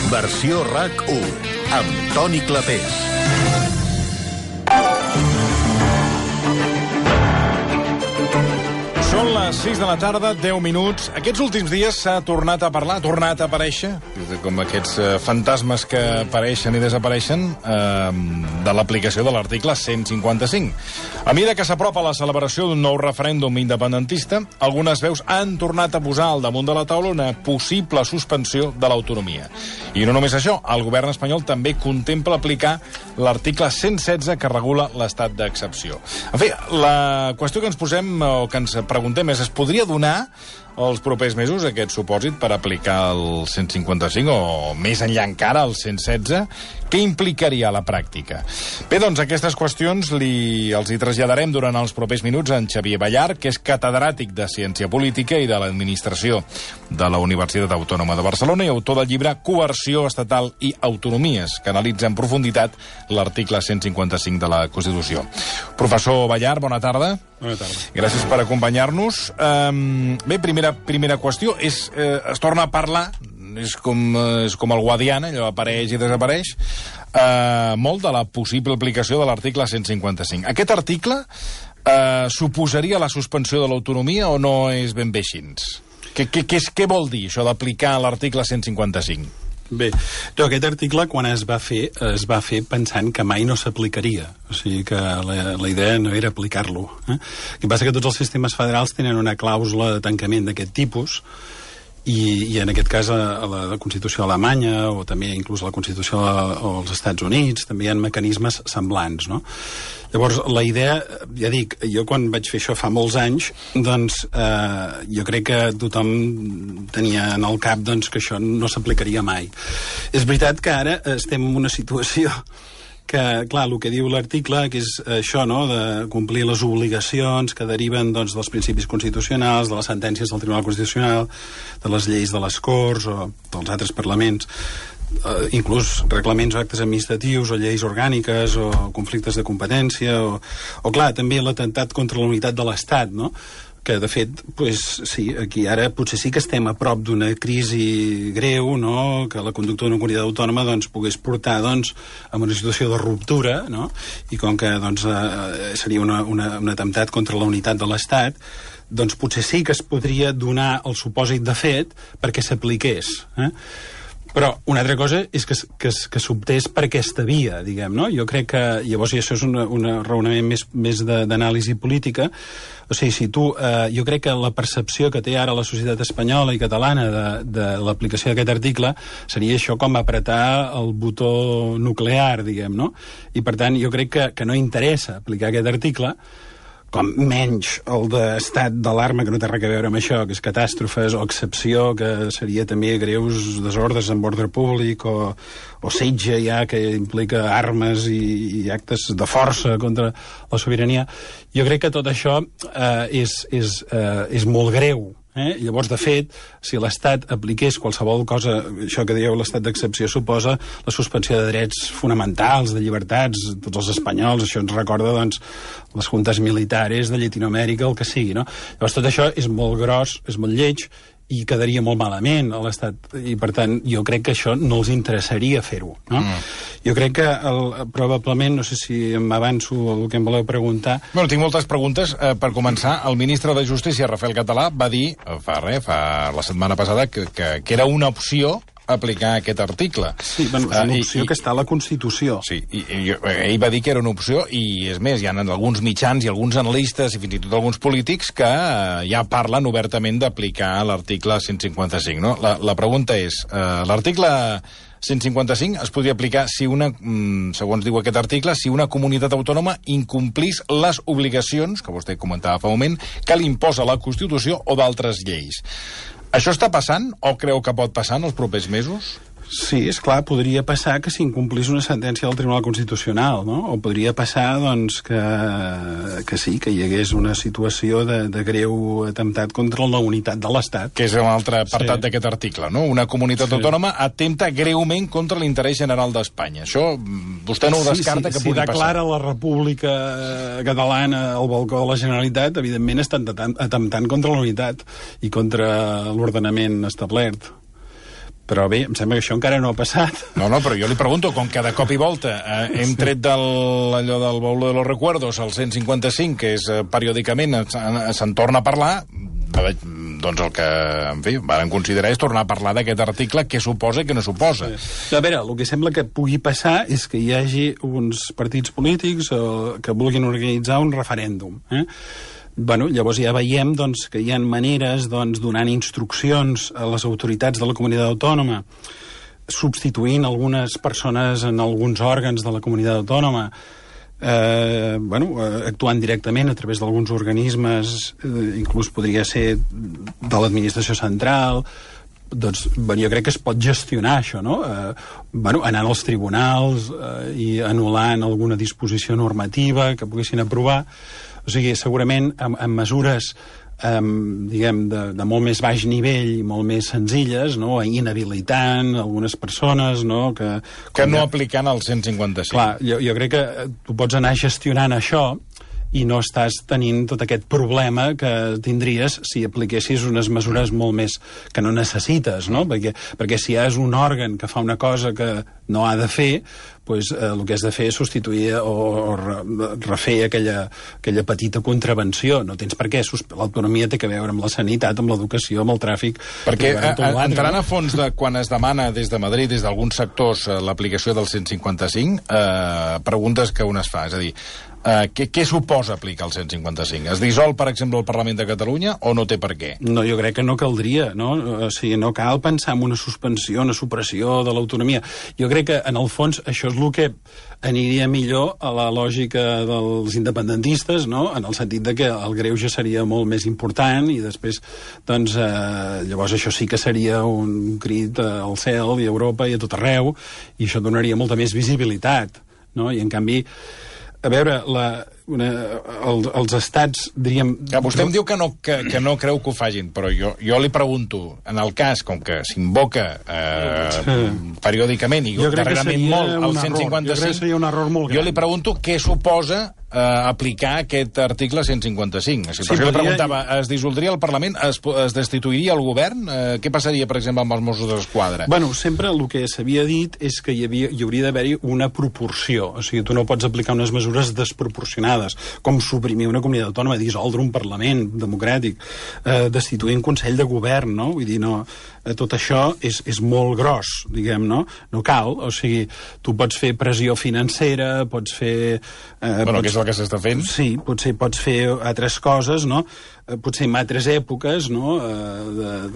Versió RAC1, amb Toni Clapés. Són les 6 de la tarda, 10 minuts. Aquests últims dies s'ha tornat a parlar, ha tornat a aparèixer, com aquests fantasmes que apareixen i desapareixen, de l'aplicació de l'article 155. A mesura que s'apropa la celebració d'un nou referèndum independentista, algunes veus han tornat a posar al damunt de la taula una possible suspensió de l'autonomia. I no només això, el govern espanyol també contempla aplicar l'article 116 que regula l'estat d'excepció. En fi, la qüestió que ens posem, o que ens preguntem és, es podria donar els propers mesos aquest supòsit per aplicar el 155 o més enllà encara el 116? Què implicaria a la pràctica? Bé, doncs aquestes qüestions els hi traslladarem durant els propers minuts a en Xavier Ballart, que és catedràtic de Ciència Política i de l'Administració de la Universitat Autònoma de Barcelona i autor del llibre Coerció Estatal i Autonomies, que analitza en profunditat l'article 155 de la Constitució. Professor Ballart, bona tarda. Bona tarda. Gràcies per acompanyar-nos. Bé, primera qüestió és, es torna a parlar, és com el Guadiana, allò apareix i desapareix, molt de la possible aplicació de l'article 155. Aquest article suposaria la suspensió de l'autonomia o no és ben bé així? Què vol dir això d'aplicar l'article 155? Bé, aquest article, quan es va fer pensant que mai no s'aplicaria. O sigui que la idea no era aplicar-lo. El que passa que tots els sistemes federals tenen una clàusula de tancament d'aquest tipus, i en aquest cas a la Constitució alemanya o també inclús a la Constitució als Estats Units també hi ha mecanismes semblants, no? Llavors, la idea, ja dic, jo quan vaig fer això fa molts anys, doncs jo crec que tothom tenia en el cap doncs, que això no s'aplicaria mai. És veritat que ara estem en una situació que, clar, el que diu l'article, que és això, no?, de complir les obligacions que deriven, doncs, dels principis constitucionals, de les sentències del Tribunal Constitucional, de les lleis de les Corts o dels altres parlaments, inclús reglaments o actes administratius o lleis orgàniques o conflictes de competència o clar, també l'atemptat contra la unitat de l'Estat, no?, que de fet, pues, sí, aquí ara potser sí que estem a prop d'una crisi greu, no?, que la conducta d'una comunitat autònoma doncs, pogués portar doncs, a una situació de ruptura, no?, i com que doncs, seria un atemptat contra la unitat de l'Estat, doncs potser sí que es podria donar el supòsit de fet perquè s'apliqués. Però una altra cosa és que s'optés per aquesta via, diguem, no? Jo crec que, llavors, i això és un raonament més d'anàlisi política, o sigui, jo crec que la percepció que té ara la societat espanyola i catalana de l'aplicació d'aquest article seria això com apretar el botó nuclear, diguem, no? I, per tant, jo crec que no interessa aplicar aquest article, com menys el d'estat d'alarma, que no té res a veure amb això, que és catàstrofes, o excepció, que seria també greus desordres en ordre públic, o setge ja, que implica armes i actes de força contra la sobirania. Jo crec que tot això és molt greu. Llavors, de fet, si l'Estat apliqués qualsevol cosa, això que dieu l'estat d'excepció suposa la suspensió de drets fonamentals, de llibertats, tots els espanyols, això ens recorda doncs, les juntes militares de Llatinoamèrica, el que sigui, no? Llavors, tot això és molt gros, és molt lleig, i quedaria molt malament a l'Estat, i per tant jo crec que això no els interessaria fer-ho, no? Jo crec que probablement, no sé si m'avanço el que em voleu preguntar. Bueno, tinc moltes preguntes. Per començar, el ministre de Justícia, Rafael Català, va dir fa la setmana passada que era una opció aplicar aquest article. Sí, bueno, és una opció que està a la Constitució. Sí, ell va dir que era una opció, i és més, hi ha alguns mitjans i alguns analistes i fins i tot alguns polítics que ja parlen obertament d'aplicar l'article 155, no? La pregunta és, l'article 155 es podria aplicar si segons diu aquest article, si una comunitat autònoma incomplís les obligacions, que vostè comentava fa un moment, que li imposa la Constitució o d'altres lleis. Això està passant o creu que pot passar en els propers mesos? Sí, és clar, podria passar que s'incomplís una sentència del Tribunal Constitucional, no? O podria passar, doncs, que sí, que hi hagués una situació de greu atemptat contra la unitat de l'Estat. Que és un altre apartat d'aquest article, no? Una comunitat autònoma atempta greument contra l'interès general d'Espanya. Això vostè no ho descarta que pugui passar. Si declara la República Catalana al balcó de la Generalitat, evidentment estan atemptant contra la unitat i contra l'ordenament establert. Però bé, em sembla que això encara no ha passat. No, però jo li pregunto, com que de cop i volta hem tret allò del baúl de los recuerdos, el 155, que és periòdicament se'n torna a parlar, doncs el que, en fi, van considerar és tornar a parlar d'aquest article, què suposa i què no suposa. Sí. A veure, el que sembla que pugui passar és que hi hagi uns partits polítics que vulguin organitzar un referèndum, Bueno, llavors ja veiem doncs, que hi ha maneres donant instruccions a les autoritats de la comunitat autònoma, substituint algunes persones en alguns òrgans de la comunitat autònoma, actuant directament a través d'alguns organismes, inclús podria ser de l'administració central. Doncs, jo crec que es pot gestionar això, no? Anant als tribunals i anul·lant alguna disposició normativa que poguessin aprovar. O sigui, segurament amb mesures diguem, de molt més baix nivell i molt més senzilles, no? Inhabilitant algunes persones, no? Que no aplicant el 155. Clar, jo crec que tu pots anar gestionant això i no estàs tenint tot aquest problema que tindries si apliquessis unes mesures molt més que no necessites, no? Perquè si és un òrgan que fa una cosa que no ha de fer, doncs el que has de fer és substituir o refer aquella petita contravenció. No tens per què. L'autonomia té que veure amb la sanitat, amb l'educació, amb el tràfic. Perquè entrant a fons de quan es demana des de Madrid, des d'alguns sectors, l'aplicació del 155, preguntes que un es fa, és a dir, què suposa aplicar el 155? Es dissol, per exemple, el Parlament de Catalunya o no té per què? No, jo crec que no caldria, no? O sigui, no cal pensar en una suspensió, una supressió de l'autonomia. Jo crec que, en el fons, això és el que aniria millor a la lògica dels independentistes, no? En el sentit de que el greuge seria molt més important i després, doncs, llavors això sí que seria un crit al cel i a Europa i a tot arreu, i això donaria molta més visibilitat, no? I, en canvi, a veure, els estats, diríem... Vostè em diu que no creu que ho facin, però jo li pregunto, en el cas, com que s'invoca periòdicament i darrerament molt el 155, jo li pregunto què suposa aplicar aquest article 155. Si jo li preguntava, es dissoldria el Parlament, es destituiria el govern? Què passaria, per exemple, amb els Mossos d'Esquadra? Bueno, sempre el que s'havia dit és que hi hauria d'haver-hi una proporció. O sigui, tu no pots aplicar unes mesures desproporcionades, com suprimir una comunitat autònoma, dissoldre un Parlament democràtic, destituir un Consell de Govern, no? Vull dir, no, tot això és molt gros, diguem, no? No cal, o sigui, tu pots fer pressió financera, pots fer... que és el que s'està fent. Sí, potser pots fer altres coses, no? Potser en altres èpoques, no?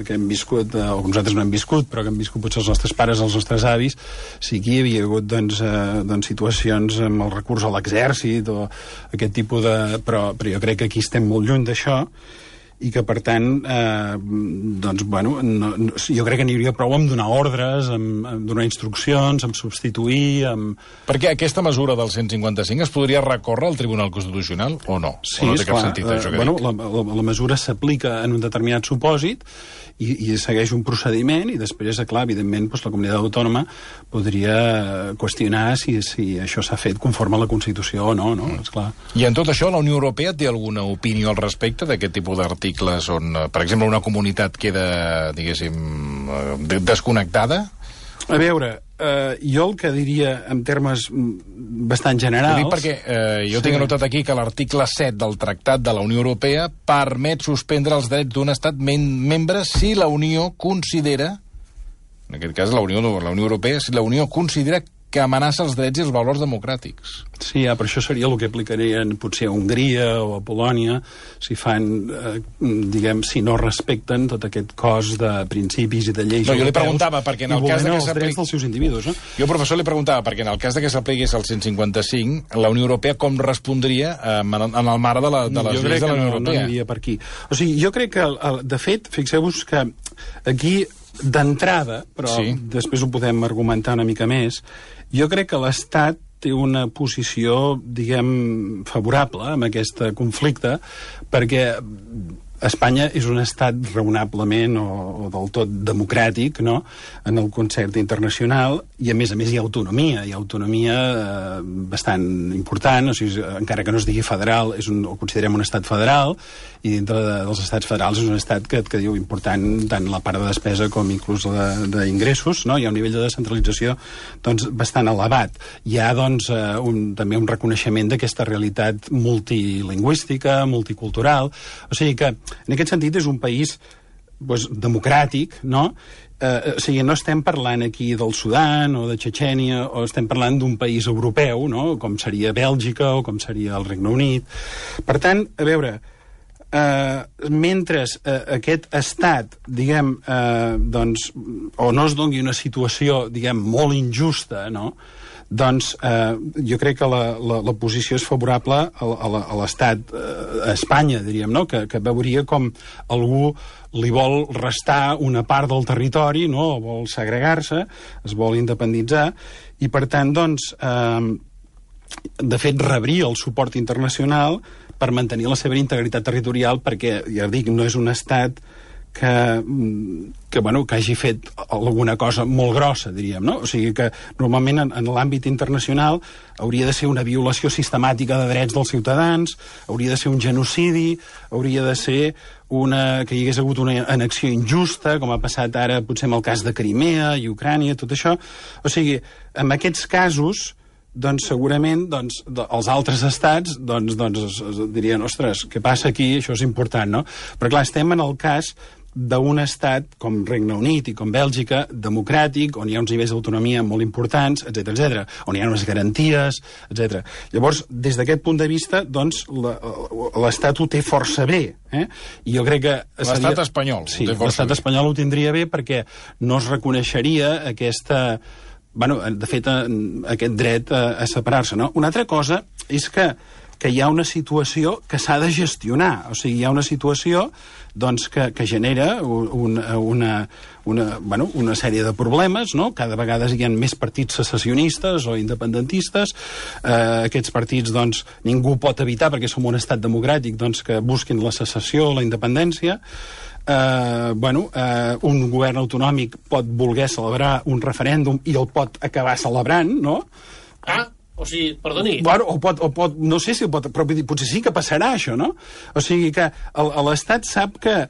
Que hem viscut, o nosaltres no hem viscut, però que hem viscut potser els nostres pares, els nostres avis, sí que hi havia hagut doncs, situacions amb el recurs a l'exèrcit o aquest tipus de... Però jo crec que aquí estem molt lluny d'això, i que, per tant, doncs, bueno, jo crec que n'hi hauria prou amb donar ordres, amb donar instruccions, amb substituir, amb... Perquè aquesta mesura del 155 es podria recórrer al Tribunal Constitucional o no? Sí, o no té cap sentit, això que dic? La mesura s'aplica en un determinat supòsit i segueix un procediment i després, clar, evidentment, doncs, la comunitat autònoma podria qüestionar si això s'ha fet conforme a la Constitució o no, esclar. I en tot això, la Unió Europea té alguna opinió al respecte d'aquest tipus d'articles on, per exemple, una comunitat queda, diguéssim, desconnectada? A veure, jo el que diria en termes bastant generals... Ho dic perquè jo tinc anotat aquí que l'article 7 del Tractat de la Unió Europea permet suspendre els drets d'un estat membre si la Unió considera, en aquest cas la Unió Europea, si la Unió considera que amenaça els drets i els valors democràtics. Sí, però això seria el que aplicarien potser a Hongria o a Polònia si fan, diguem, si no respecten tot aquest cos de principis i de lleis europeus. Jo li preguntava, perquè en el cas de que s'apliqui... els drets dels seus individus, no? Jo, professor, li preguntava, perquè en el cas de que s'apliqués el 155, la Unió Europea com respondria en el marc de les lleis de la Unió Europea? No aniria per aquí. O sigui, jo crec que, de fet, fixeu-vos que aquí d'entrada, però sí, després ho podem argumentar una mica més, jo crec que l'Estat té una posició, diguem, favorable amb aquest conflicte, perquè Espanya és un estat raonablement o del tot democràtic, no?, en el concert internacional, i a més hi ha autonomia bastant important, o sigui, encara que no es digui federal, ho considerem un estat federal, i dintre dels estats federals és un estat que diu important tant la part de despesa com inclús d'ingressos, no? Hi ha un nivell de descentralització doncs, bastant elevat. Hi ha doncs, també un reconeixement d'aquesta realitat multilingüística, multicultural, o sigui que en aquest sentit és un país doncs, democràtic, no? O sigui, no estem parlant aquí del Sudan o de Txetxènia, o estem parlant d'un país europeu, no?, com seria Bèlgica o com seria el Regne Unit. Per tant, a veure, mentre aquest estat, diguem, doncs, o no es doni una situació, diguem, molt injusta, no?, doncs jo crec que la posició és favorable a l'estat, a Espanya, diríem, no?, que veuria com algú li vol restar una part del territori, no?, o vol segregar-se, es vol independitzar, i per tant, doncs, de fet, rebria el suport internacional per mantenir la seva integritat territorial, perquè, ja dic, no és un estat que hagi fet alguna cosa molt grossa, diríem, no? O sigui que normalment en l'àmbit internacional hauria de ser una violació sistemàtica de drets dels ciutadans, hauria de ser un genocidi, hauria de ser que hi hagués hagut una annexió injusta, com ha passat ara potser amb el cas de Crimea i Ucrània, tot això. O sigui, en aquests casos, doncs segurament els altres estats dirien, ostres, què passa aquí? Això és important, no? Però clar, estem en el cas d'un estat com Regne Unit i com Bèlgica, democràtic, on hi ha uns nivells d'autonomia molt importants, etc., on hi ha unes garanties, etc. Llavors, des d'aquest punt de vista, doncs, l'Estat ho té força bé. I jo crec que l'estat espanyol. Sí, l'estat espanyol ho tindria bé perquè no es reconeixeria aquesta... de fet, aquest dret a separar-se, no? Una altra cosa és que hi ha una situació que s'ha de gestionar. O sigui, hi ha una situació doncs, que genera una sèrie de problemes, no? Cada vegada hi ha més partits secessionistes o independentistes. Aquests partits, doncs, ningú pot evitar, perquè som un estat democràtic, doncs, que busquin la secessió, la independència. Un govern autonòmic pot voler celebrar un referèndum i el pot acabar celebrant, no? O sigui, perdoni. O pot, no sé si pot, però potser sí que passarà això, no? O sigui que l'Estat sap que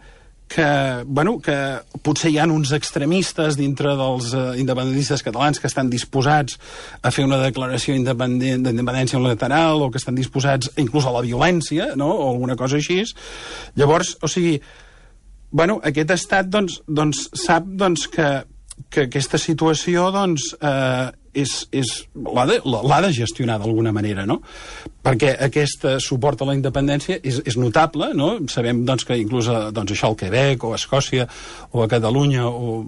potser hi ha uns extremistes dintre dels independentistes catalans que estan disposats a fer una declaració d'independència unilateral o que estan disposats inclús a la violència, no?, o alguna cosa així. Llavors, o sigui, aquest estat sap que aquesta situació l'ha de gestionar d'alguna manera, no? Perquè aquest suport a la independència és notable, no? Sabem que inclús això al Quebec o a Escòcia o a Catalunya o a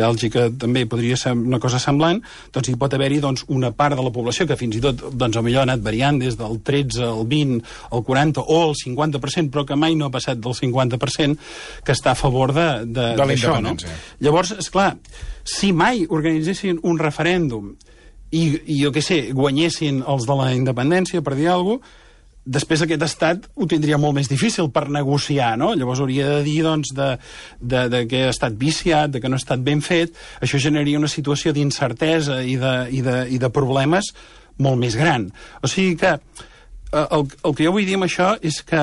Bèlgica també podria ser una cosa semblant, doncs hi pot haver-hi una part de la població que fins i tot millor ha anat variant des del 13 al 20 al 40 o al 50%, però que mai no ha passat del 50%, que està a favor d'això, no? Llavors, esclar, si mai organitzessin un referèndum i jo què sé, guanyessin els de la independència, per dir alguna cosa, després aquest estat ho tindria molt més difícil per negociar, no? Llavors hauria de dir, que ha estat viciat, que no ha estat ben fet. Això generaria una situació d'incertesa i de problemes molt més gran. O sigui que el que jo vull dir amb això és que,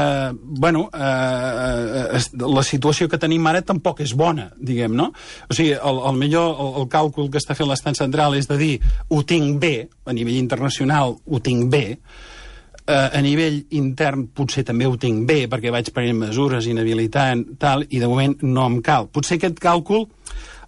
la situació que tenim ara tampoc és bona, diguem, no? O sigui, el càlcul que està fent l'estat central és de dir, ho tinc bé, a nivell internacional ho tinc bé, a nivell intern potser també ho tinc bé, perquè vaig prenent mesures, inhabilitant, tal, i de moment no em cal. Potser aquest càlcul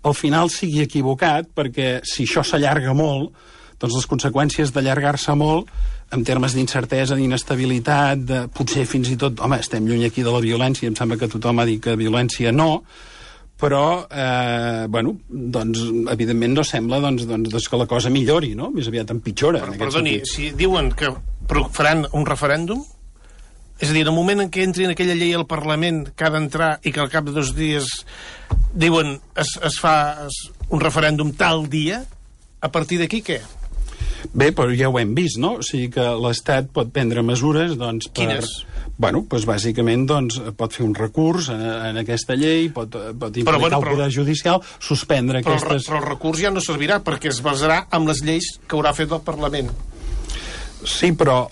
al final sigui equivocat, perquè si això s'allarga molt, doncs les conseqüències d'allargar-se molt en termes d'incertesa, d'inestabilitat, potser fins i tot, home, estem lluny aquí de la violència, em sembla que tothom ha dit que violència no, però, evidentment no sembla que la cosa millori, no? Més aviat empitjora. Però, perdoni, si diuen que faran un referèndum, és a dir, en el moment en què entri en aquella llei al Parlament que ha d'entrar i que al cap de 2 dies diuen es fa un referèndum tal dia, a partir d'aquí què? Bé, però ja ho hem vist, no? O sigui que l'Estat pot prendre mesures, Quines? Bueno, doncs bàsicament pot fer un recurs en aquesta llei, pot implicar el Poder Judicial, suspendre aquestes... Però el recurs ja no servirà, perquè es basarà en les lleis que haurà fet el Parlament. Sí, però,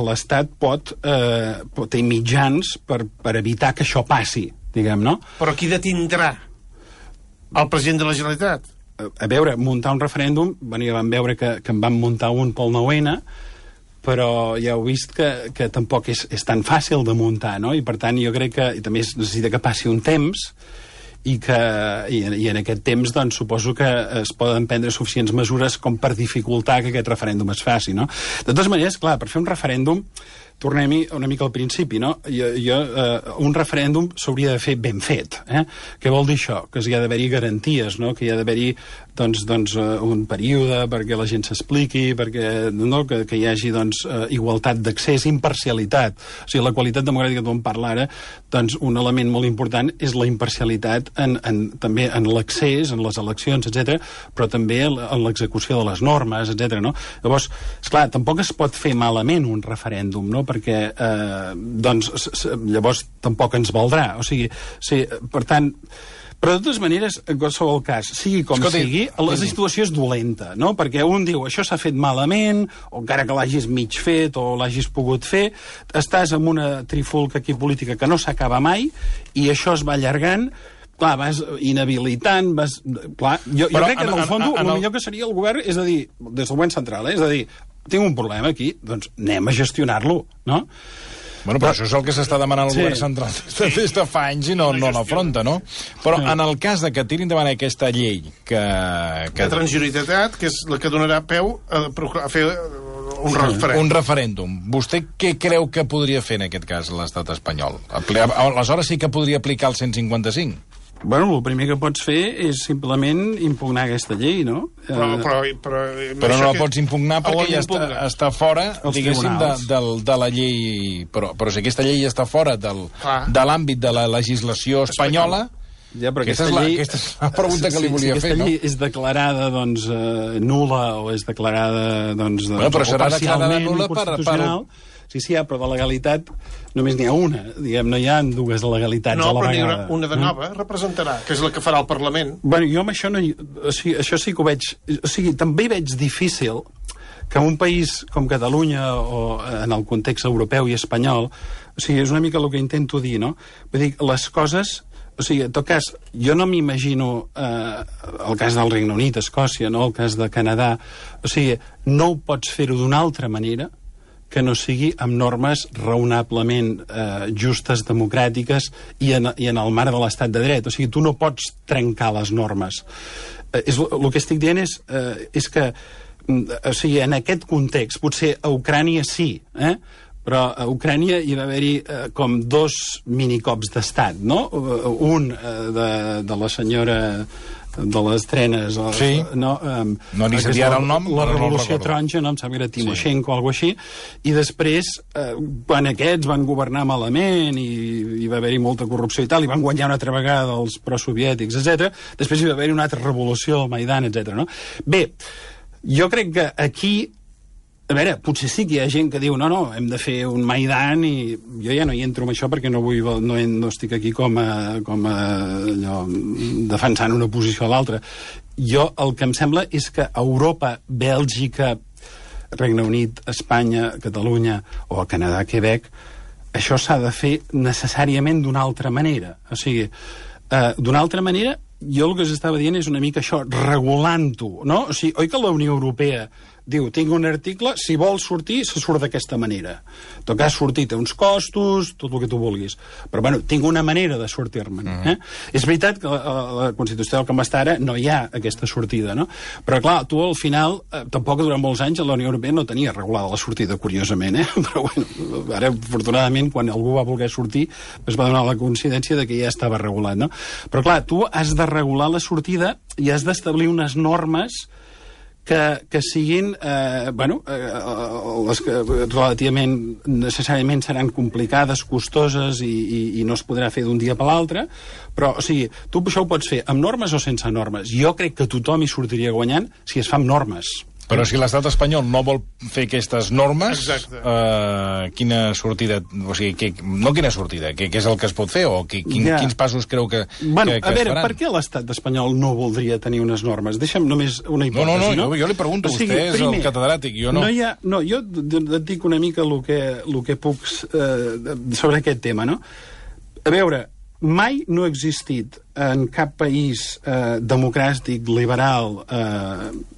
l'Estat té mitjans per evitar que això passi, diguem, no? Però qui detindrà? El president de la Generalitat? A veure, muntar un referèndum, ja vam veure que en van muntar un pel 9-N, però ja heu vist que tampoc és tan fàcil de muntar, no? I per tant jo crec que també es necessita que passi un temps i en aquest temps doncs suposo que es poden prendre suficients mesures com per dificultar que aquest referèndum es faci, no? De totes maneres, clar, per fer un referèndum tornem-hi una mica al principi, no? Un referèndum s'hauria de fer ben fet, eh? Què vol dir això? Que hi ha d'haver-hi garanties, no? Que hi ha d'haver-hi un període perquè la gent s'expliqui, que hi hagi igualtat d'accés, imparcialitat. O sigui, la qualitat democràtica que tu en parla ara, un element molt important és la imparcialitat també en l'accés, en les eleccions, etc, però també en l'execució de les normes, etc. No? Llavors, esclar, tampoc es pot fer malament un referèndum, no? Perquè llavors tampoc ens valdrà. O sigui, per tant... Però, de totes maneres, en qualsevol cas, sigui com sigui, la situació és dolenta, no? Perquè un diu, això s'ha fet malament, o encara que l'hagis mig fet, o l'hagis pogut fer, estàs en una trifulca aquí política que no s'acaba mai, i això es va allargant, clar, vas inhabilitant, Clar, jo crec que, en el fons, el millor que seria el govern, és a dir, des del govern central, és a dir, tinc un problema aquí, doncs anem a gestionar-lo, no? Bueno, però això és el que s'està demanant al govern central des de fa anys i no l'afronta, no? Però en el cas de que tiri endavant aquesta llei de transitorietat, que és la que donarà peu a fer un referèndum. Vostè què creu que podria fer en aquest cas l'estat espanyol? Aleshores sí que podria aplicar el 155? Bueno, el primer que pots fer és simplement impugnar aquesta llei, no? Però no la pots impugnar perquè ja està fora, diguéssim, de la llei... Però si aquesta llei està fora de l'àmbit de la legislació espanyola... Ja, però aquesta és la pregunta que li volia fer, no? Si aquesta llei és declarada, nul·la o és declarada, però serà declarada nul·la per... Sí, però de legalitat només n'hi ha una. Diguem, no hi ha dues legalitats a la vegada. No, però una de nova representarà, que és la que farà el Parlament. Bueno, jo amb això no... O sigui, això sí que ho veig... O sigui, també veig difícil que un país com Catalunya o en el context europeu i espanyol... O sigui, és una mica el que intento dir, no? Vull dir, les coses... O sigui, en tot cas, jo no m'imagino el cas del Regne Unit, Escòcia, no? El cas de Canadà... O sigui, no ho pots fer-ho d'una altra manera que no sigui amb normes raonablement justes, democràtiques i en el marc de l'estat de dret. O sigui, tu no pots trencar les normes. El que estic dient és que, o sigui, en aquest context, potser a Ucrània sí, però a Ucrània hi va haver-hi com dos minicops d'estat, no? Un de la senyora de les trenes... Sí, no li sabia ara el nom. La Revolució Taronja, no? Em sembla que era Timoshenko o alguna cosa així, i després, quan aquests van governar malament i hi va haver-hi molta corrupció i tal, i van guanyar una altra vegada els prosoviètics, etc. Després hi va haver-hi una altra revolució, el Maidan, etc. No? Bé, jo crec que aquí... A veure, potser sí que hi ha gent que diu no, hem de fer un Maidan i jo ja no hi entro amb això perquè no estic aquí com a allò, defensant una posició a l'altra. Jo el que em sembla és que Europa, Bèlgica, Regne Unit, Espanya, Catalunya o Canadà, Quebec, això s'ha de fer necessàriament d'una altra manera. O sigui, d'una altra manera, jo el que s'estava dient és una mica això, regulant-ho, no? O sigui, oi que la Unió Europea diu, tinc un article, si vols sortir, se surt d'aquesta manera. En tot cas, sortir té uns costos, tot el que tu vulguis. Però, bueno, tinc una manera de sortir-me'n. És veritat que a la Constitució del com està ara no hi ha aquesta sortida, no? Però, clar, tu al final, tampoc durant molts anys la Unió Europea no tenia regulada la sortida, curiosament, Però, bueno, ara, afortunadament, quan algú va voler sortir, es va donar la coincidència de que ja estava regulat, no? Però, clar, tu has de regular la sortida i has d'establir unes normes que siguin, les que relativament necessàriament seran complicades, costoses i no es podrà fer d'un dia per l'altre, però, o sigui, tu això ho pots fer amb normes o sense normes. Jo crec que tothom hi sortiria guanyant si es fa amb normes. Però si l'estat espanyol no vol fer aquestes normes, quina sortida... O sigui, no quina sortida, què és el que es pot fer? O quins passos creu que es faran? A veure, per què l'estat espanyol no voldria tenir unes normes? Deixa'm només una hipòtesi, no? Jo li pregunto, vostè és el catedràtic, jo no. Jo et dic una mica el que puc sobre aquest tema, no? A veure, mai no ha existit en cap país democràtic, liberal,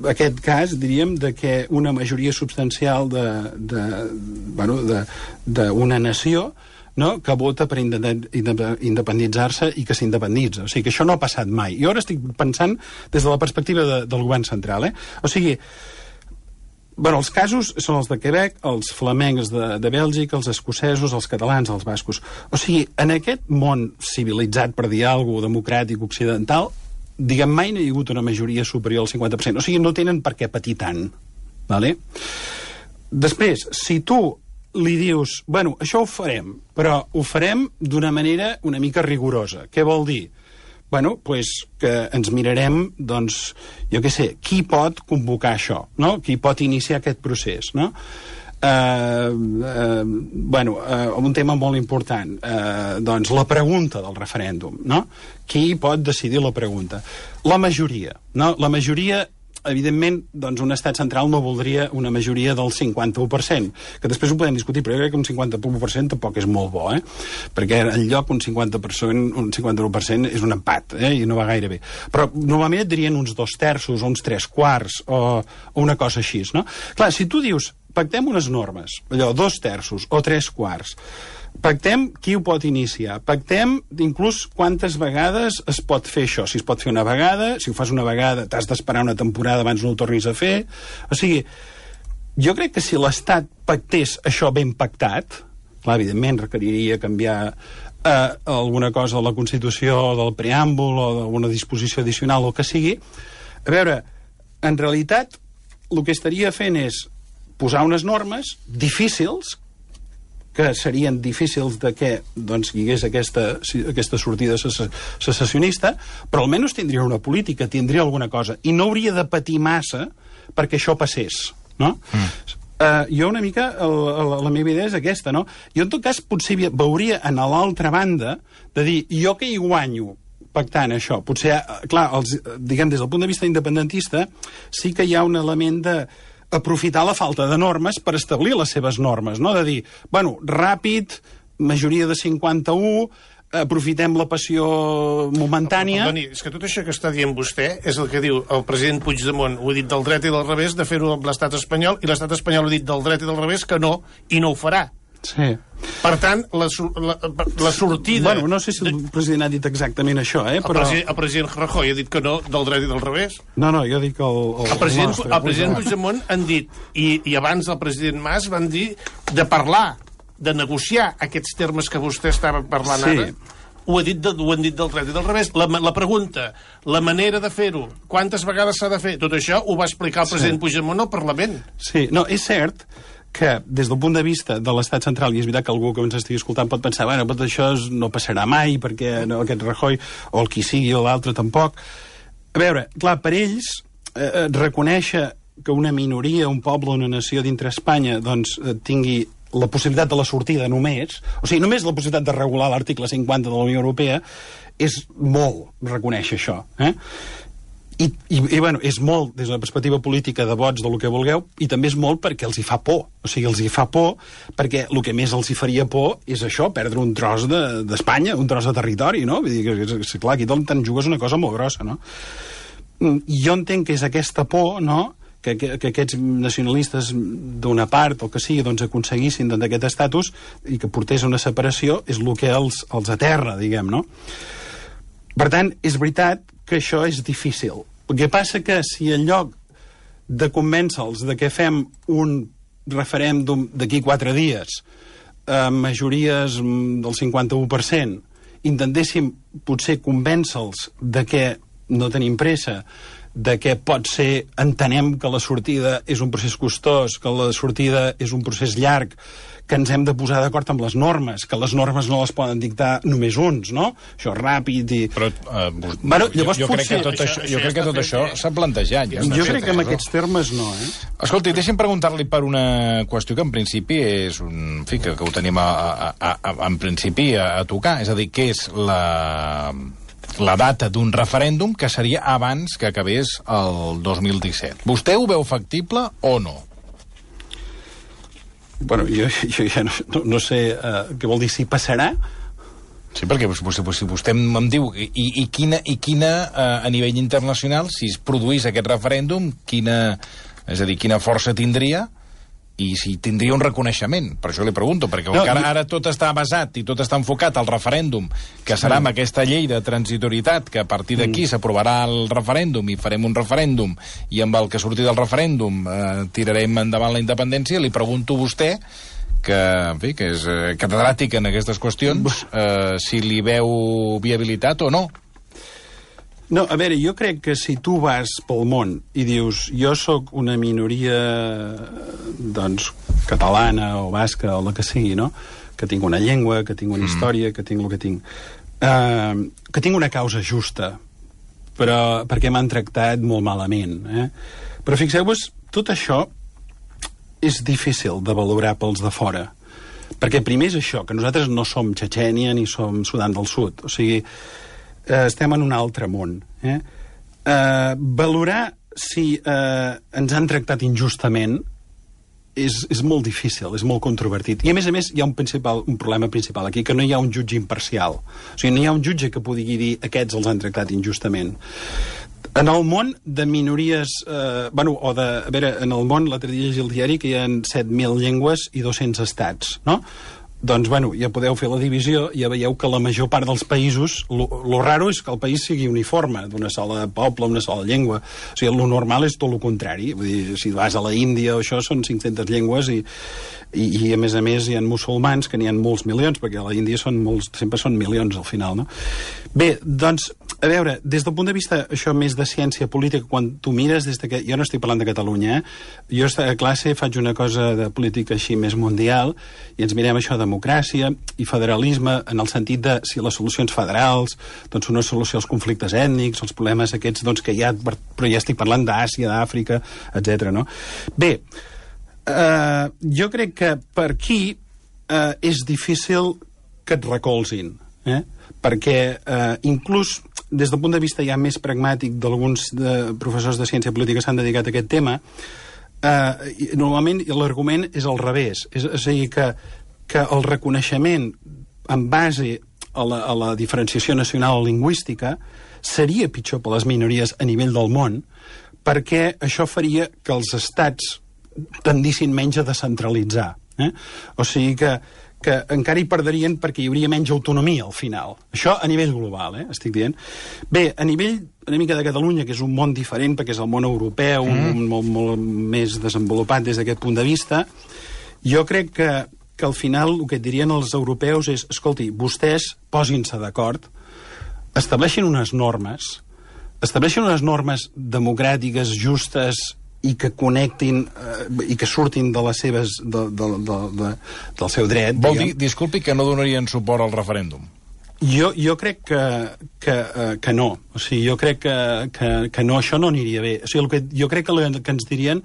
aquest cas, diríem, de que una majoria substancial d'una nació, no?, que vota per independitzar-se i que s'independitza. O sigui, que això no ha passat mai. Jo ara estic pensant des de la perspectiva del govern central, O sigui, els casos són els de Quebec, els flamencs de Bèlgica, els escocesos, els catalans, els bascos. O sigui, en aquest món civilitzat, per dir alguna cosa, democràtic, occidental, diguem, mai no hi ha hagut una majoria superior al 50%. O sigui, no tenen per què patir tant. Vale? Després, si tu li dius, això ho farem, però ho farem d'una manera una mica rigorosa. Què vol dir? Que ens mirarem, jo què sé, qui pot convocar això, no? Qui pot iniciar aquest procés, no? Un tema molt important, la pregunta del referèndum, no? Qui pot decidir la pregunta? La majoria, no? La majoria, evidentment, un estat central no voldria una majoria del 51%, que després ho podem discutir, però jo crec que un 51% tampoc és molt bo, perquè enlloc un 51% és un empat, i no va gaire bé. Però normalment et dirien uns 2/3 o uns 3/4 o una cosa així, no? Clar, si tu dius, pactem unes normes, allò, 2/3 o 3/4, pactem qui ho pot iniciar, pactem inclús quantes vegades es pot fer això, si es pot fer una vegada, si ho fas una vegada t'has d'esperar una temporada abans no ho tornis a fer. O sigui, jo crec que si l'Estat pactés això ben pactat, clar, evidentment requeriria canviar alguna cosa de la Constitució, del preàmbul o d'alguna disposició addicional o el que sigui. A veure, en realitat el que estaria fent és posar unes normes difícils, que serien difícils de que hi hagués aquesta sortida secessionista, però almenys tindria una política, tindria alguna cosa, i no hauria de patir massa perquè això passés, no? Jo una mica, la meva idea és aquesta, no? Jo en tot cas potser veuria a l'altra banda de dir, jo que hi guanyo pactant això, potser, clar, diguem, des del punt de vista independentista sí que hi ha un element de aprofitar la falta de normes per establir les seves normes, no? De dir, ràpid, majoria de 51, aprofitem la passió momentània... Perdoni, és que tot això que està dient vostè és el que diu el president Puigdemont, ho ha dit del dret i del revés, de fer-ho amb l'estat espanyol, i l'estat espanyol ha dit del dret i del revés que no, i no ho farà. Sí. Per tant, la sortida... No sé si el president ha dit exactament això, però... El president Rajoy ha dit que no del dret i del revés. No, jo dic el president Puigdemont han dit, i abans el president Mas van dir de parlar, de negociar aquests termes que vostè estava parlant ara. Ho han dit del dret i del revés. La pregunta, la manera de fer-ho, quantes vegades s'ha de fer, tot això ho va explicar el president Puigdemont al Parlament. Sí, no, és cert que des del punt de vista de l'estat central, i és veritat que algú que ens estigui escoltant pot pensar, tot això no passarà mai, perquè aquest Rajoy, o el qui sigui, o l'altre tampoc. A veure, clar, per ells, reconèixer que una minoria, un poble, una nació dintre Espanya, tingui la possibilitat de la sortida només, o sigui, només la possibilitat de regular l'article 50 de la Unió Europea, és molt reconèixer això, I és molt des de la perspectiva política de vots del que vulgueu, i també és molt perquè els hi fa por. O sigui, els hi fa por perquè el que més els hi faria por és això, perdre un tros d'Espanya, un tros de territori, no? Vull dir que, clar, aquí te'n jugues una cosa molt grossa, no? Jo entenc que és aquesta por, no?, que aquests nacionalistes d'una part o que sigui aconseguissin aquest estatus i que portés una separació és el que els aterra, diguem, no? Per tant, és veritat que això és difícil. El que passa que si en lloc de convèncer-los de que fem un referèndum d'aquí 4 dies amb majories del 51%, intentéssim potser convèncer-los de que no tenim pressa, de que pot ser, entenem que la sortida és un procés costós, que la sortida és un procés llarg, que ens hem de posar d'acord amb les normes, que les normes no les poden dictar només uns, no? Això és ràpid i... Però llavors jo crec que tot això s'ha plantejat. Jo crec que en aquests termes no, Escolti, deixi'm preguntar-li per una qüestió que en principi és un... En fi, que ho tenim en principi a tocar, és a dir, què és la data d'un referèndum que seria abans que acabés el 2017. Vostè ho veu factible o no? Bueno, jo ja no sé què vol dir si passarà. Sí, perquè vostè em diu i quina a nivell internacional, si es produís aquest referèndum, quina força tindria i si tindria un reconeixement. Per això li pregunto, perquè ara tot està basat i tot està enfocat al referèndum, que serà amb aquesta llei de transitorietat, que a partir d'aquí s'aprovarà el referèndum i farem un referèndum i amb el que surti del referèndum tirarem endavant la independència. Li pregunto a vostè, que és catedràtic en aquestes qüestions, si li veu viabilitat o no. No, a veure, jo crec que si tu vas pel món i dius jo sóc una minoria doncs catalana o basca o la que sigui, no? Que tinc una llengua, que tinc una història, que tinc el que tinc, que tinc una causa justa, però perquè m'han tractat molt malament, Però fixeu-vos, tot això és difícil de valorar pels de fora, perquè primer és això, que nosaltres no som Txetxènia ni som Sudan del Sud, o sigui, estem en un altre món. Valorar si ens han tractat injustament és molt difícil, és molt controvertit. I a més hi ha un problema principal aquí, que no hi ha un jutge imparcial. O sigui, no hi ha un jutge que pugui dir aquests els han tractat injustament. En el món de minories... a veure, en el món, l'altre dia llegia el diari que hi ha 7.000 llengües i 200 estats, no? Doncs, ja podeu fer la divisió, ja veieu que la major part dels països, lo raro és que el país sigui uniforme, d'una sola poble, una sola llengua. O sigui, lo normal és tot el contrari. Vull dir, si vas a la Índia o això, són 500 llengües i a més hi ha musulmans, que n'hi ha molts milions, perquè a la Índia sempre són milions al final, no? Bé, doncs, a veure, des del punt de vista això més de ciència política, quan tu mires des de que... Jo no estic parlant de Catalunya, Jo a classe faig una cosa de política així més mundial i ens mirem això de democràcia i federalisme en el sentit de si les solucions federals doncs són una solució als conflictes ètnics, als problemes aquests doncs, que hi ha, però ja estic parlant d'Àsia, d'Àfrica, etc. No? Bé, jo crec que per aquí és difícil que et recolzin, perquè inclús des del punt de vista ja més pragmàtic d'alguns professors de ciència política s'han dedicat a aquest tema, normalment l'argument és al revés, és a dir, que el reconeixement en base a la diferenciació nacional o lingüística seria pitjor per les minories a nivell del món, perquè això faria que els estats tendissin menys a descentralitzar. O sigui que encara hi perdrien perquè hi hauria menys autonomia al final. Això a nivell global, estic dient. Bé, a nivell una mica de Catalunya, que és un món diferent perquè és el món europeu, un món molt més desenvolupat des d'aquest punt de vista, jo crec que al final el que et dirien els europeus és, escolti, vostès posin-se d'acord, estableixin unes normes democràtiques, justes, i que connectin i que surtin de les seves del seu dret. Vol dir, disculpi, que no donarien suport al referèndum? Jo crec que no. O sigui, jo crec que no, això no aniria bé. O sigui, jo crec que el que ens dirien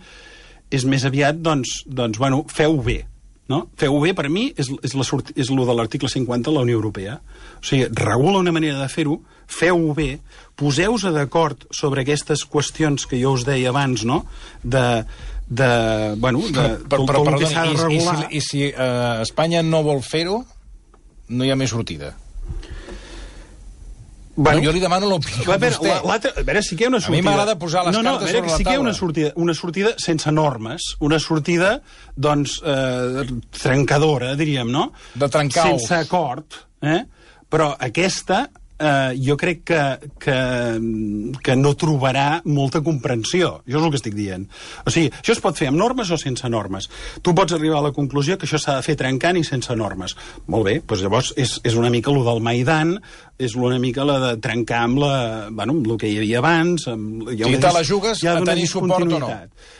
és més aviat, doncs feu-ho bé. No? Feu-ho bé, per mi, és el de l'article 50 de la Unió Europea. O sigui, regula una manera de fer-ho, feu-ho bé, poseu-vos d'acord sobre aquestes qüestions que jo us deia abans, no? Tot el que s'ha de regular. I si Espanya no vol fer-ho, no hi ha més sortida? Bueno, jo li demano l'opinió a vostè. A veure, sí que hi ha una sortida. A mi m'agrada posar les cartes sobre la taula. Sí que hi ha una sortida sense normes, una sortida, doncs, trencadora, diríem, no? De trencar-os. Sense acord, però aquesta jo crec que no trobarà molta comprensió. Jo és el que estic dient. O sigui, això es pot fer amb normes o sense normes. Tu pots arribar a la conclusió que això s'ha de fer trencant i sense normes. Molt bé, doncs llavors és una mica allò del Maidan, és una mica la de trencar amb el que hi havia abans. Si te la jugues a tenir suport o no?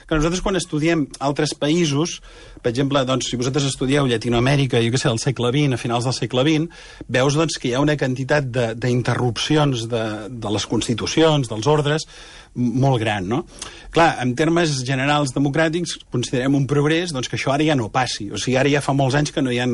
Que nosaltres quan estudiem altres països, per exemple, doncs, si vosaltres estudieu Llatinoamèrica, jo què sé, al segle XX, a finals del segle XX, veus doncs, que hi ha una quantitat d'interrupcions de les constitucions, dels ordres, molt gran, no? Clar, en termes generals democràtics, considerem un progrés doncs, que això ara ja no passi. O sigui, ara ja fa molts anys que no hi ha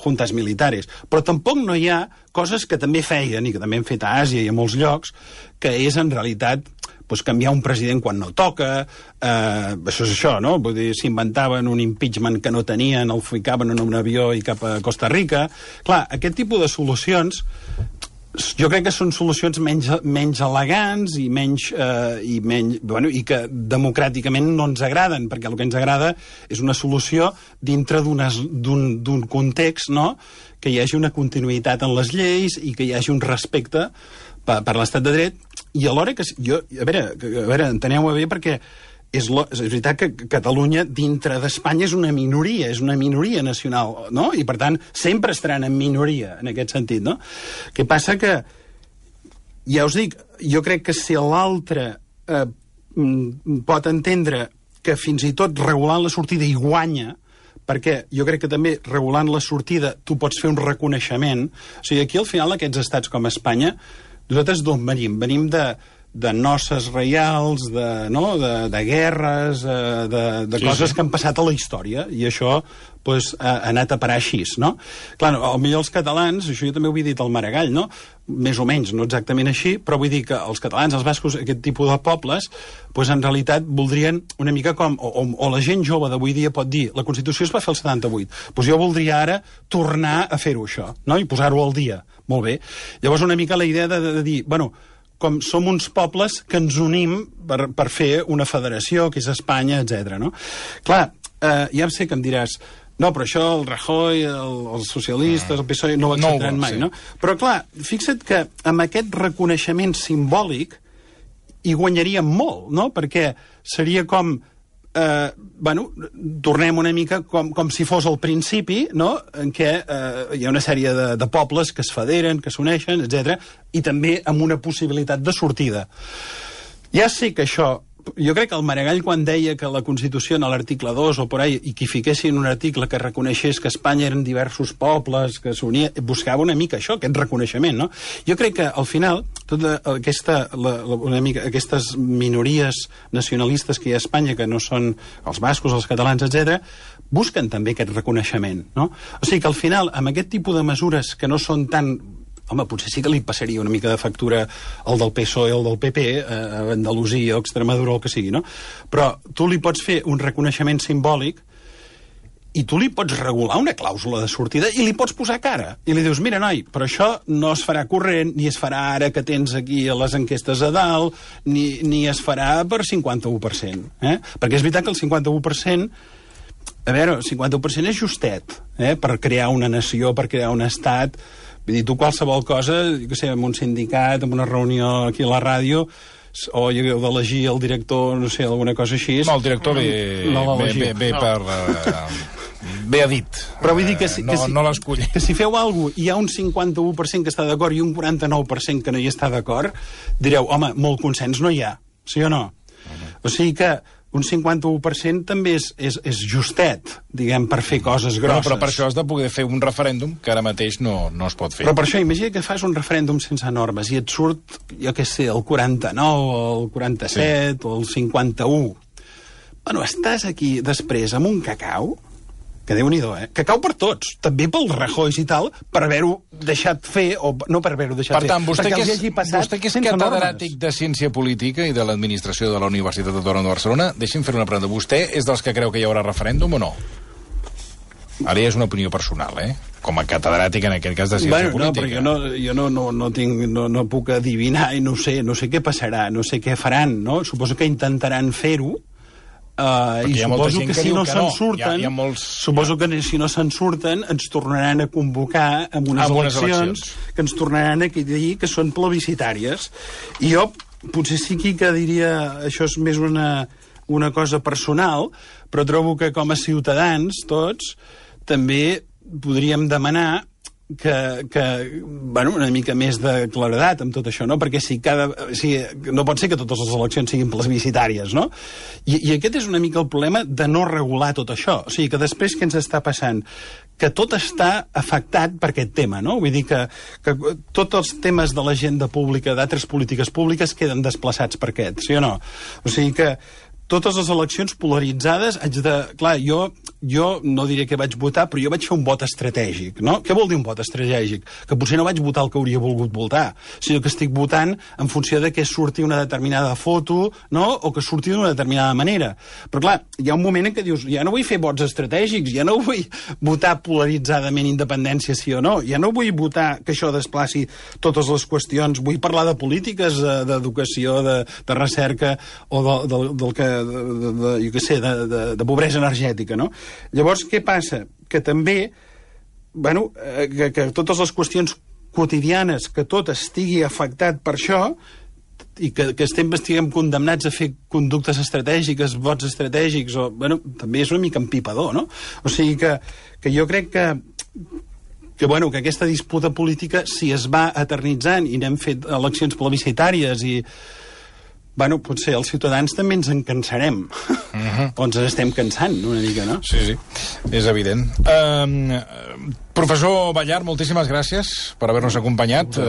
juntes militares. Però tampoc no hi ha coses que també feien, i que també han fet a Àsia i a molts llocs, que és en realitat doncs, canviar un president quan no toca, això és això, no? Vull dir, s'inventaven un impeachment que no tenien, el ficaven en un avió i cap a Costa Rica. Clar, aquest tipus de solucions jo crec que són solucions menys elegants i i que democràticament no ens agraden, perquè el que ens agrada és una solució dintre d'un context, no?, que hi hagi una continuïtat en les lleis i que hi hagi un respecte per l'estat de dret, i alhora que a veure, enteneu-ho bé, perquè és veritat que Catalunya dintre d'Espanya és una minoria nacional, no? I per tant sempre estaran en minoria en aquest sentit, no? Que passa que, ja us dic, jo crec que si l'altre pot entendre que fins i tot regulant la sortida hi guanya, perquè jo crec que també regulant la sortida tu pots fer un reconeixement. O sigui, aquí al final aquests estats com Espanya, nosaltres d'on venim? Venim de noces reials, de guerres, de coses que han passat a la història, i això doncs, ha anat a parar així, no? Clar, potser els catalans, això jo també ho havia dit al Maragall, no? Més o menys, no exactament així, però vull dir que els catalans, els bascos, aquest tipus de pobles, doncs en realitat voldrien una mica com, o la gent jove d'avui dia pot dir, la Constitució es va fer el 78, doncs jo voldria ara tornar a fer-ho això, no? I posar-ho al dia. Molt bé. Llavors una mica la idea de dir, bueno, com som uns pobles que ens unim per fer una federació, que és Espanya, etc. No? Clar, ja sé que em diràs, no, però això el Rajoy, els socialistes, el PSOE no ho acceptaran mai, no? Però clar, fixa't que amb aquest reconeixement simbòlic hi guanyaríem molt, no? Perquè seria com tornem una mica com si fos al principi, no?, en què hi ha una sèrie de pobles que es federen, que s'uneixen, etc., i també amb una possibilitat de sortida. Ja sé que això... Jo crec que el Maragall, quan deia que la Constitució, en l'article 2 o por ahí, i que hi fiquessin un article que reconeixés que Espanya eren diversos pobles, que s'unia, buscava una mica això, aquest reconeixement, no? Jo crec que, al final, tota aquestes minories nacionalistes que hi ha a Espanya, que no són els bascos, els catalans, etc., busquen també aquest reconeixement, no? O sigui que, al final, amb aquest tipus de mesures que no són tan... Home, potser sí que li passaria una mica de factura al del PSOE o al del PP, a Andalusia o Extremadura o el que sigui, no? Però tu li pots fer un reconeixement simbòlic i tu li pots regular una clàusula de sortida i li pots posar cara. I li dius, mira, noi, però això no es farà corrent, ni es farà ara que tens aquí les enquestes a dalt, ni es farà per 51%. Perquè és veritat que el 51%... A veure, el 51% és justet, per crear una nació, per crear un estat... Vull dir, tu qualsevol cosa, jo què sé, en un sindicat, en una reunió aquí a la ràdio, o heu d'elegir el director, no sé, alguna cosa així... No, el director ve per... Bé ha dit. Però vull dir que no l'escull. Que si feu alguna cosa, hi ha un 51% que està d'acord i un 49% que no hi està d'acord, direu, home, molt consens no hi ha, sí o no? O sigui que un 51% també és justet, diguem, per fer coses grosses. Però per això has de poder fer un referèndum que ara mateix no es pot fer. Però per això, imagina que fas un referèndum sense normes i et surt, jo què sé, el 49, o el 47, o el 51. Bueno, estàs aquí després amb un cacau, que Déu-n'hi-do, cacau per tots, també pel Rajoy i tal, per haver-ho deixat fer, o no per haver-ho deixat fer. Per tant, vostè que és catedràtic de Ciència Política i de l'Administració de la Universitat Autònoma de Barcelona, deixi'm fer una pregunta. Vostè és dels que creu que hi haurà referèndum o no? Ara ja és una opinió personal, com a catedràtic en aquest cas de Ciència Política. No, perquè jo no puc adivinar i no sé què passarà, no sé què faran, no? Suposo que intentaran fer-ho, i suposo que si no se'n surten, suposo que si no se'n surten ens tornaran a convocar amb unes eleccions que ens tornaran a dir que són plebiscitàries. I jo potser sí que diria, això és més una cosa personal, però trobo que com a ciutadans tots també podríem demanar bueno, una mica més de claredat amb tot això, no? Perquè no pot ser que totes les eleccions siguin plebiscitàries, no? I aquest és una mica el problema de no regular tot això. O sigui, que després què ens està passant? Que tot està afectat per aquest tema, no? Vull dir que tots els temes de l'agenda pública, d'altres polítiques públiques, queden desplaçats per aquest, sí o no? O sigui que totes les eleccions polaritzades Clar, jo no diré que vaig votar, però jo vaig fer un vot estratègic, no? Què vol dir un vot estratègic? Que potser no vaig votar el que hauria volgut votar, sinó que estic votant en funció de que surti una determinada foto, no? O que surti d'una determinada manera. Però clar, hi ha un moment en què dius, ja no vull fer vots estratègics, ja no vull votar polaritzadament independència sí o no, ja no vull votar que això desplaci totes les qüestions, vull parlar de polítiques, d'educació, de recerca o del que jo què sé, de pobresa energètica, no? Llavors, què passa? Que també, bueno, que totes les qüestions quotidianes, que tot estigui afectat per això, i que estiguem condemnats a fer conductes estratègiques, vots estratègics, bueno, també és una mica empipador, no? O sigui que jo crec que aquesta disputa política, si es va eternitzant i n'hem fet eleccions plebiscitàries i bueno, potser els ciutadans també ens en cansarem. O ens estem cansant una mica, no? Sí, és evident. Professor Ballart, moltíssimes gràcies per haver-nos acompanyat.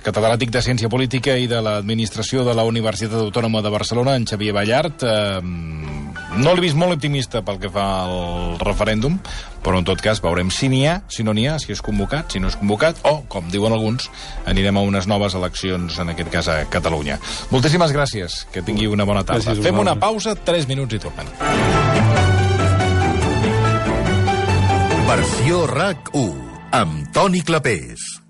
Catedràtic de Ciència Política i de l'Administració de la Universitat Autònoma de Barcelona, en Xavier Ballart. No l'he vist molt optimista pel que fa al referèndum, però en tot cas veurem si n'hi ha, si no n'hi ha, si és convocat, si no és convocat, o, com diuen alguns, anirem a unes noves eleccions, en aquest cas a Catalunya. Moltíssimes gràcies, que tingui una bona tarda. Fem una pausa, 3 minuts i tornem. Versió RAC 1, amb Toni Clapés.